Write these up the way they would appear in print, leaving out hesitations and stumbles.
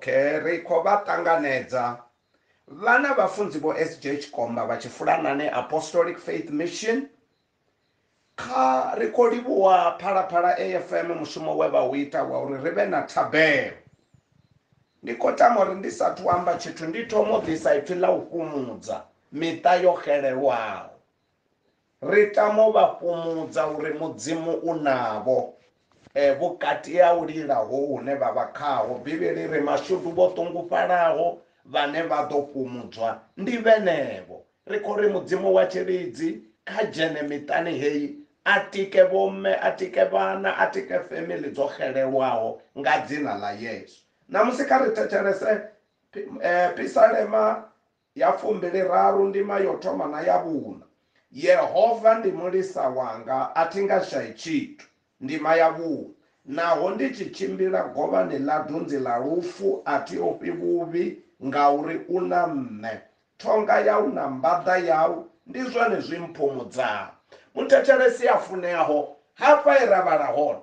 Okay, ri khou vha ṱanganedza vhana vhafunzi vho SJ Tshikomba vha Tshifulanani Apostolic Faith Mission. Kha ri khou livhuwa Phalaphala AFM mushumo we vha u ita wa uri ri vhe na thabelo. Ndi khou tama uri ndi sathu amba tshithu ndi thoma u ḓisa ipfi ḽa u fhumudza miṱa yo xelelwaho. Ri tama u vha fhumudza uri Mudzimu u navho vhukati ha u lila ho hune vha vha khaho. Bivhili ri mashudu vho ṱungufhalaho vhane vha ḓo fhumudzwa ndi vhenevho. Ri khou ri Mudzimu wa tshilidzi kha dzhene miṱani heyi, a tike vhomme, a tike vhana, a tike family dzo xelelwaho nga dzina ḽa Yesu. Ṋamusi kha ri thetshelese Pisalema ya 23 ndima yo thoma na ya vhuṋa. Yehova ndi mulisa wanga, a thi nga shayi tshithu. Ndima ya vhuṋa. Naho ndi tshi tshimbila govhani ḽa dunzi ḽa lufu, a thi ofhi vhuvhi, ngauri u na nṋe. Thonga yau na mbaḓa yau ndi zwone zwi mphumudzaho. Muthetshelesi a funeaho, hafha he ra vhala hone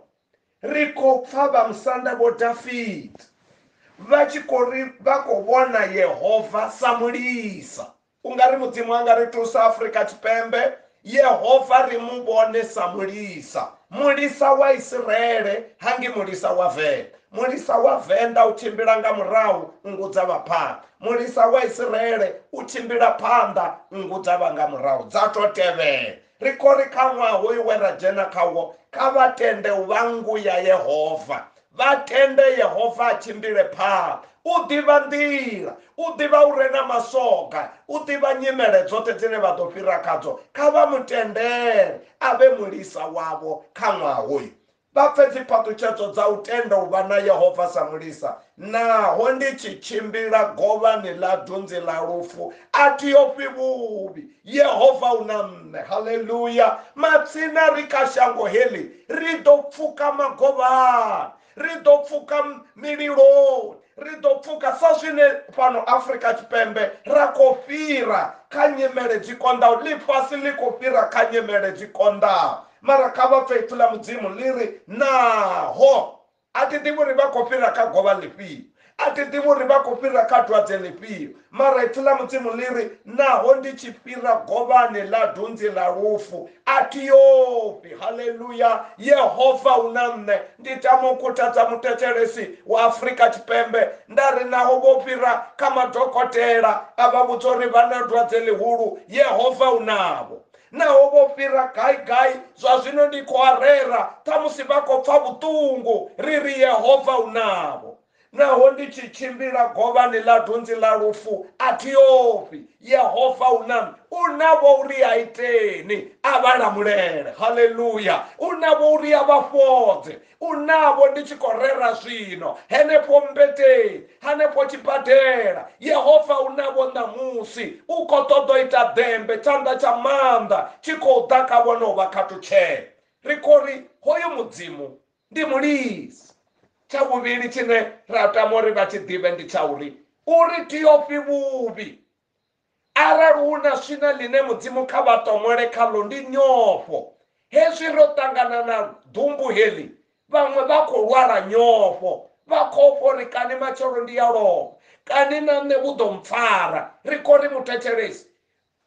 ri khou pfa vha musanda vho Dafita vha tshi khou ri vha khou vhona Yehova sa mulisa. U nga ri Mudzimu a nga ri thusa Afrika Tshipembe, Yehova ri mu vhone sa mulisa. Mulisa wa Isiraele hangi mulisa wa Venḓa. Mulisa wa Venḓa u tshimbila nga murahu, nngu dza vha phanḓa. Mulisa wa Isiraele u tshimbila phanḓa, nngu dza vha nga murahu, dza to tevhela. Ri khou ri kha ṅwaha hoyu we ra dzhena khawo, kha vha tende u vha nngu ya Yehova. Vha tende Yehova a tshimbile phanḓa. U ḓivha nḓila, u ḓivha u re na masoga, u ḓivha nyimele dzoṱhe dzine vha ḓo fhira khadzo. Kha vha mu tendele a vhe mulisa wavho kha ṅwaha hoyu. Vha pfe dziphaṱhutshedzo dza u tenda u vha na Yehova sa mulisa. Naho ndi tshi tshimbila govhani ḽa dunzi ḽa lufu, a thi ofhi vhuvhi, Yehova u na nṋe. Haleluya! Matsina ri kha shango heḽi, ri ḓo pfuka magovhani, ri ḓo pfuka mililoni, ri ḓo pfuka sa zwine fhano Afrika Tshipembe ra khou fhira kha nyimele dzi konḓaho. Ḽifhasi ḽi khou fhira kha nyimele dzi konḓaho. Mara kha vha pfe ipfi ḽa Mudzimu ḽi ri naho. A thi ḓivhi uri vha khou fhira kha govha ḽifhio, a thi ḓivhi uri vha khou fhira kha dwadze ḽifhio, mara ipfi ḽa Mudzimu ḽi ri naho ndi tshi fhira govhani ḽa dunzi ḽa lufu, a thi ofhi. Haleluya! Yehova u na nṋe. Ndi tama u khuthadza muthetshelesi wa Afrika Tshipembe nda ri naho vho fhira kha madokotela a vha vhudza uri vha na dwadze ḽihulu, Yehova u navho. Naho vho fhira gai gai, zwa zwino ndi khou a rera, ṱhamusi vha khou pfa vhuṱungu, ri ri Yehova u navho. Naho ndi tshi tshimbila govhani ḽa dunzi ḽa lufu, a thi ofhi, Yehova u na nṋe. U navho uri a iteni, a vha lamulele. Haleluya! U navho uri a vha fhodze. U navho ndi tshi khou rera zwino henefho mmbeteni, hanefho tshibadela. Yehova u navho ṋamusi. U khou ṱoḓa u ita ḓembe, tshanḓa tsha maanḓa tshi khou ḓa kha vhone u vha khathutshela. Ri khou ri hoyu Mudzimu ndi mulisa. Tsha vhuvhili tshine ra tama uri vha tshi ḓivhe ndi tsha uri uri thi ofhi vhuvhi. Arali hu na swina ḽine Mudzimu kha vha ṱomole khaḽo ndi nyofho. Hezwi ro ṱangana na ḓumbu heḽi, vhaṅwe vha khou lwala nyofho, vha khou ofha uri kani matshelo ndi ya lovha, kani na nṋe vhu ḓo mpfara. Ri khou ri muthetshelesi,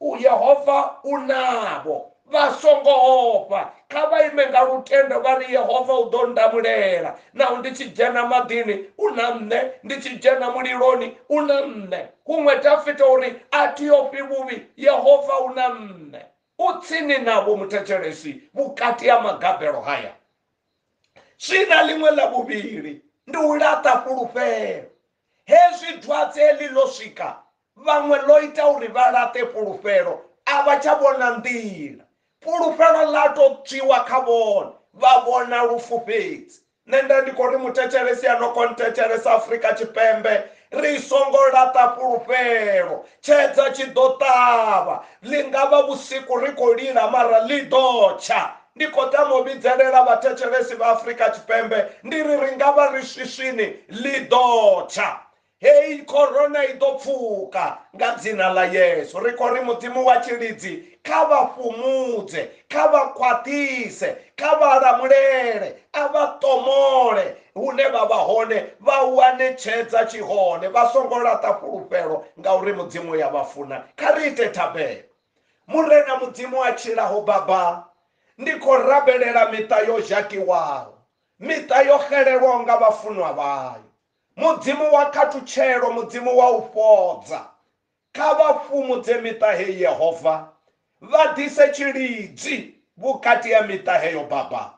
Yehova u navho, vha songo ofha. Kha vha ime nga lutendo vha ri Yehova u ḓo ndamulela. Naho ndi tshi dzhena maḓini, u na nṋe, ndi tshi dzhena muliloni, u na nṋe. Huṅwe Dafita uri a thi ofhi vhuvhi, Yehova u na nṋe. U tsini navho muthetshelesi vhukati ha magabelo haya. Swina ḽiṅwe ḽa vhuvhili ndi u laṱa fhulufhelo. Hezwi dwadze heḽi ḽo swika, vhaṅwe ḽo ita uri vha laṱe fhulufhelo, a vha tsha vhona nḓila. Fhulufhelo ḽa tou tswiwa kha vhone, vha vhona lufu fhedzi. Nṋe nda ndi khou ri muthetshelesi a no khou nthetshelesa Afrika Tshipembe, ri songo laṱa fhulufhelo. Tshedza tshi ḓo ṱavha, ḽi nga vha vhusiku ri khou lila mara ḽi ḓo tsha. Ndi khou tama u vhidzelela vhathetshelesi vha Afrika Tshipembe ndi ri ri nga vha ri swiswini, ḽi ḓo tsha. Hei corona i ḓo pfuka nga dzina ḽa Yesu. Ri khou ri Mudzimu wa tshilidzi kha vha fhumudze, kha vha khwaṱhise, kha vha lamulele, a vha ṱomole. Hune vha vha hone vha wane tshedza tshi hone, vha songo laṱa fhulufhelo ngauri Mudzimu ya vha funa. Kha ri ite thabelo. Murena Mudzimu a tshilaho Baba, ndi khou rabelela miṱa yo zhakiwaho, miṱa yo xelelwaho nga vhafunwa vhayo. Mudzimu wa khathutshelo, Mudzimu wa u fhodza, kha vha fhumudze miṱa heyi Yehova, vha ḓise tshilidzi vhukati ha miṱa heyo Baba.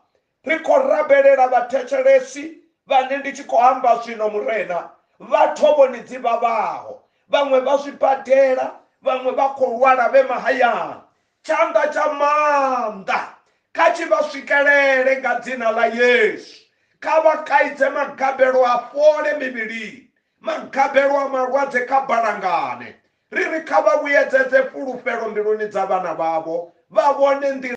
Ri khou rabelela vhathetshelesi vhane ndi tshi khou amba zwino Murena, vha thovhoni dzi vhavhaho, vhaṅwe vha zwibadela, vhaṅwe vha khou lwala vhe mahayani. Tshanḓa tsha maanḓa kha tshi vha swikelele nga dzina ḽa Yesu. Kha vha kaidze magabelo a fhole mivhilini, magabelo a malwadze kha balangane. Ri ri kha vha vhuyedzedze fhulufhelo mbiluni dza vhana vhavho, vha vhone nḓila.